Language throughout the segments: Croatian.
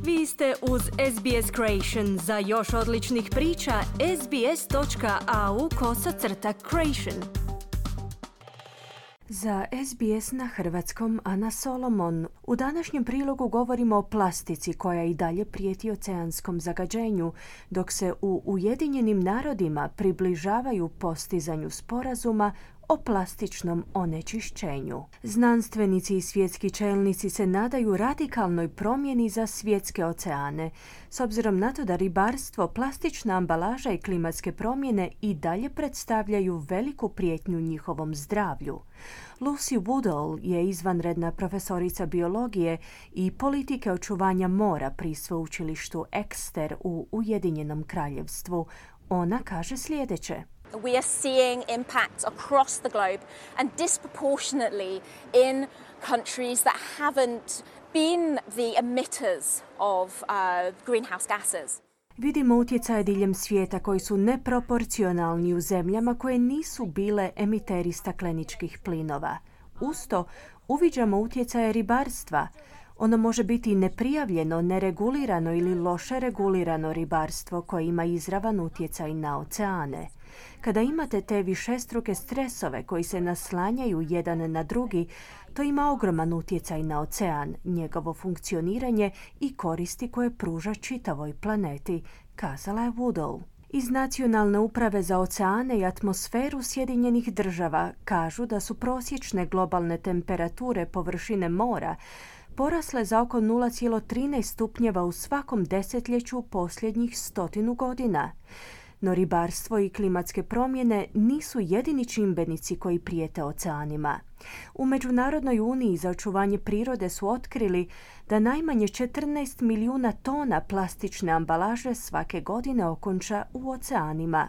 Vi ste uz SBS Creation. Za još odličnih priča, sbs.au/creation. Za SBS na hrvatskom Ana Solomon. U današnjem prilogu govorimo o plastici koja i dalje prijeti oceanskom zagađenju, dok se u Ujedinjenim narodima približavaju postizanju sporazuma o plastičnom onečišćenju. Znanstvenici i svjetski čelnici se nadaju radikalnoj promjeni za svjetske oceane, s obzirom na to da ribarstvo, plastična ambalaža i klimatske promjene i dalje predstavljaju veliku prijetnju njihovom zdravlju. Lucy Woodall je izvanredna profesorica biologije i politike očuvanja mora pri sveučilištu Exeter u Ujedinjenom kraljevstvu. Ona kaže sljedeće. We are seeing impacts across the globe and disproportionately in countries that haven't been the emitters of greenhouse gases. Vidimo utjecaje diljem svijeta koji su neproporcionalni u zemljama koje nisu bile emiteri stakleničkih plinova. Uz to uviđamo utjecaje ribarstva. Ono može biti neprijavljeno, neregulirano ili loše regulirano ribarstvo koje ima izravan utjecaj na oceane. Kada imate te višestruke stresove koji se naslanjaju jedan na drugi, to ima ogroman utjecaj na ocean, njegovo funkcioniranje i koristi koje pruža čitavoj planeti, kazala je Woodall. Iz Nacionalne uprave za oceane i atmosferu Sjedinjenih država kažu da su prosječne globalne temperature površine mora porasle za oko 0,13 stupnjeva u svakom desetljeću posljednjih 100 godina. No ribarstvo i klimatske promjene nisu jedini čimbenici koji prijete oceanima. U Međunarodnoj uniji za očuvanje prirode su otkrili da najmanje 14 milijuna tona plastične ambalaže svake godine okonča u oceanima.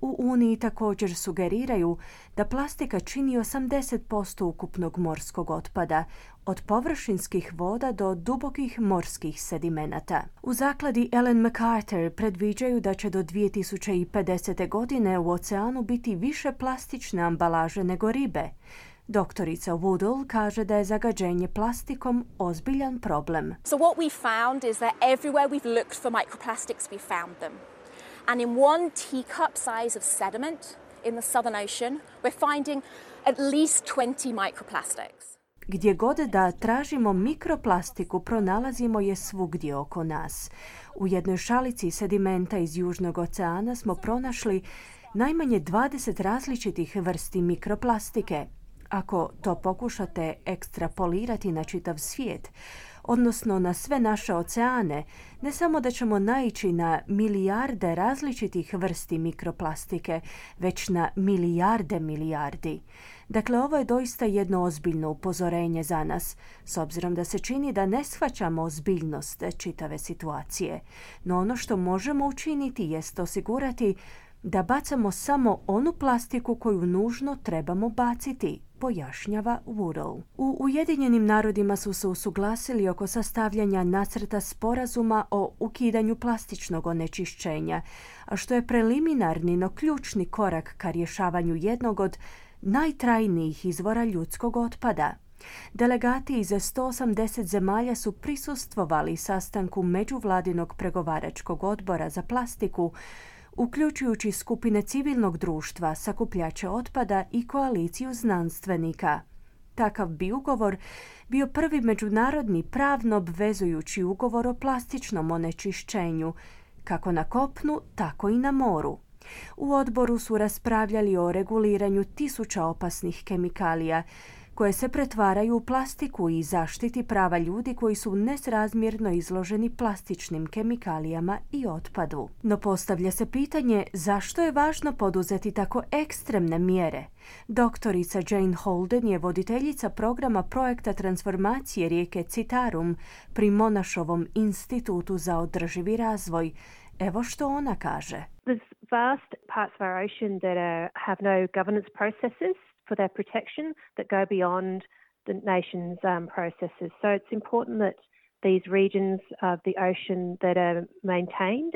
U Uniji također sugeriraju da plastika čini 80% ukupnog morskog otpada, od površinskih voda do dubokih morskih sedimenata. U zakladi Ellen MacArthur predviđaju da će do 2050. godine u oceanu biti više plastične ambalaže nego ribe. Doktorica Woodall kaže da je zagađenje plastikom ozbiljan problem. So what we found is that everywhere we've looked for microplastics, we found them. And in one teacup size of sediment in the Southern Ocean, we're finding at least 20 microplastics. Gdje god da tražimo mikroplastiku, pronalazimo je svugdje oko nas. U jednoj šalici sedimenta iz Južnog oceana smo pronašli najmanje 20 različitih vrsti mikroplastike. Ako to pokušate ekstrapolirati na čitav svijet, odnosno na sve naše oceane, ne samo da ćemo naići na milijarde različitih vrsti mikroplastike, već na milijardi. Dakle, ovo je doista jedno ozbiljno upozorenje za nas, s obzirom da se čini da ne shvaćamo ozbiljnost čitave situacije. No ono što možemo učiniti jest osigurati da bacamo samo onu plastiku koju nužno trebamo baciti, pojašnjava Woodall. U Ujedinjenim narodima su se usuglasili oko sastavljanja nacrta sporazuma o ukidanju plastičnog onečišćenja, a što je preliminarni no ključni korak ka rješavanju jednog od najtrajnijih izvora ljudskog otpada. Delegati iz 180 zemalja su prisustvovali sastanku Međuvladinog pregovaračkog odbora za plastiku, uključujući skupine civilnog društva, sakupljače otpada i koaliciju znanstvenika. Takav bi ugovor bio prvi međunarodni pravno obvezujući ugovor o plastičnom onečišćenju, kako na kopnu, tako i na moru. U odboru su raspravljali o reguliranju tisuća opasnih kemikalija, koje se pretvaraju u plastiku i zaštiti prava ljudi koji su nesrazmjerno izloženi plastičnim kemikalijama i otpadu. No postavlja se pitanje zašto je važno poduzeti tako ekstremne mjere. Doktorica Jane Holden je voditeljica programa projekta transformacije rijeke Citarum pri Monašovom institutu za održivi razvoj. Evo što ona kaže. There's vast parts of our ocean that have no governance processes for their protection that go beyond the nation's processes. So it's important that these regions of the ocean that are maintained.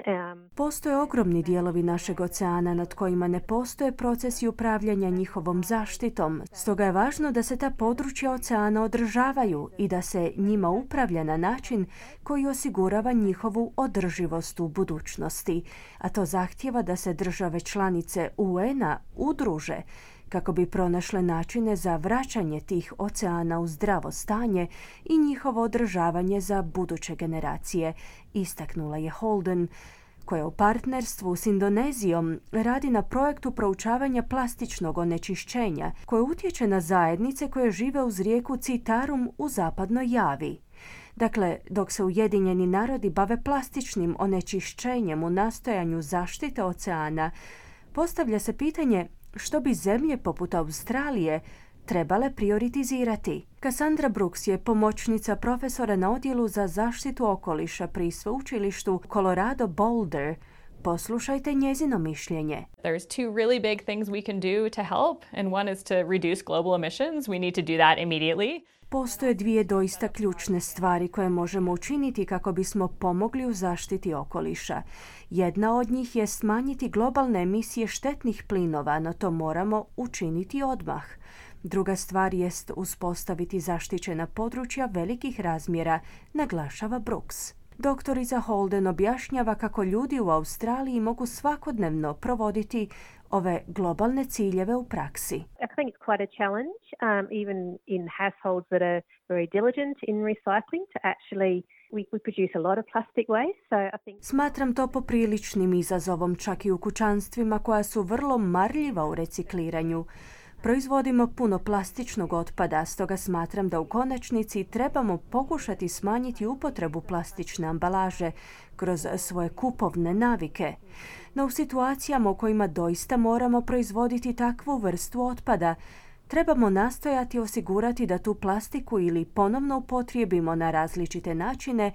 Postoje ogromni dijelovi našeg oceana nad kojima ne postoje procesi upravljanja njihovom zaštitom. Stoga je važno da se ta područja oceana održavaju i da se njima upravlja na način koji osigurava njihovu održivost u budućnosti. A to zahtijeva da se države članice UN-a udruže kako bi pronašle načine za vraćanje tih oceana u zdravo stanje i njihovo održavanje za buduće generacije, istaknula je Holden, koja u partnerstvu s Indonezijom radi na projektu proučavanja plastičnog onečišćenja koje utječe na zajednice koje žive uz rijeku Citarum u zapadnoj Javi. Dakle, dok se Ujedinjeni narodi bave plastičnim onečišćenjem u nastojanju zaštite oceana, postavlja se pitanje što bi zemlje poput Australije trebale prioritizirati. Cassandra Brooks je pomoćnica profesora na odjelu za zaštitu okoliša pri sveučilištu Colorado Boulder. Poslušajte njezino mišljenje. There's two really big things we can do to help, and one is to reduce global emissions. We need to do that immediately. Postoje dvije doista ključne stvari koje možemo učiniti kako bismo pomogli u zaštiti okoliša. Jedna od njih je smanjiti globalne emisije štetnih plinova, no to moramo učiniti odmah. Druga stvar jest uspostaviti zaštićena područja velikih razmjera, naglašava Brooks. Doktorica Holden objašnjava kako ljudi u Australiji mogu svakodnevno provoditi ove globalne ciljeve u praksi. I think it's quite a challenge, even in households that are very diligent in recycling, to actually we produce a lot of plastic waste. So I think Smatram to popriličnim izazovom čak i u kućanstvima koja su vrlo marljiva u recikliranju. Proizvodimo puno plastičnog otpada, stoga smatram da u konačnici trebamo pokušati smanjiti upotrebu plastične ambalaže kroz svoje kupovne navike. No u situacijama u kojima doista moramo proizvoditi takvu vrstu otpada, trebamo nastojati osigurati da tu plastiku ili ponovno upotrijebimo na različite načine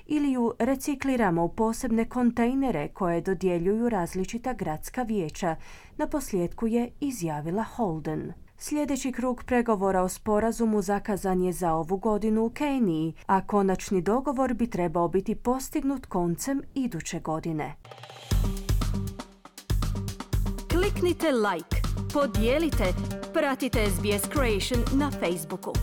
ili ju recikliramo u posebne kontejnere koje dodjeljuju različita gradska vijeća, naposljetku je izjavila Holden. Sljedeći krug pregovora o sporazumu zakazan je za ovu godinu u Keniji, a konačni dogovor bi trebao biti postignut koncem iduće godine. Kliknite like, podijelite, pratite SBS Creation na Facebooku.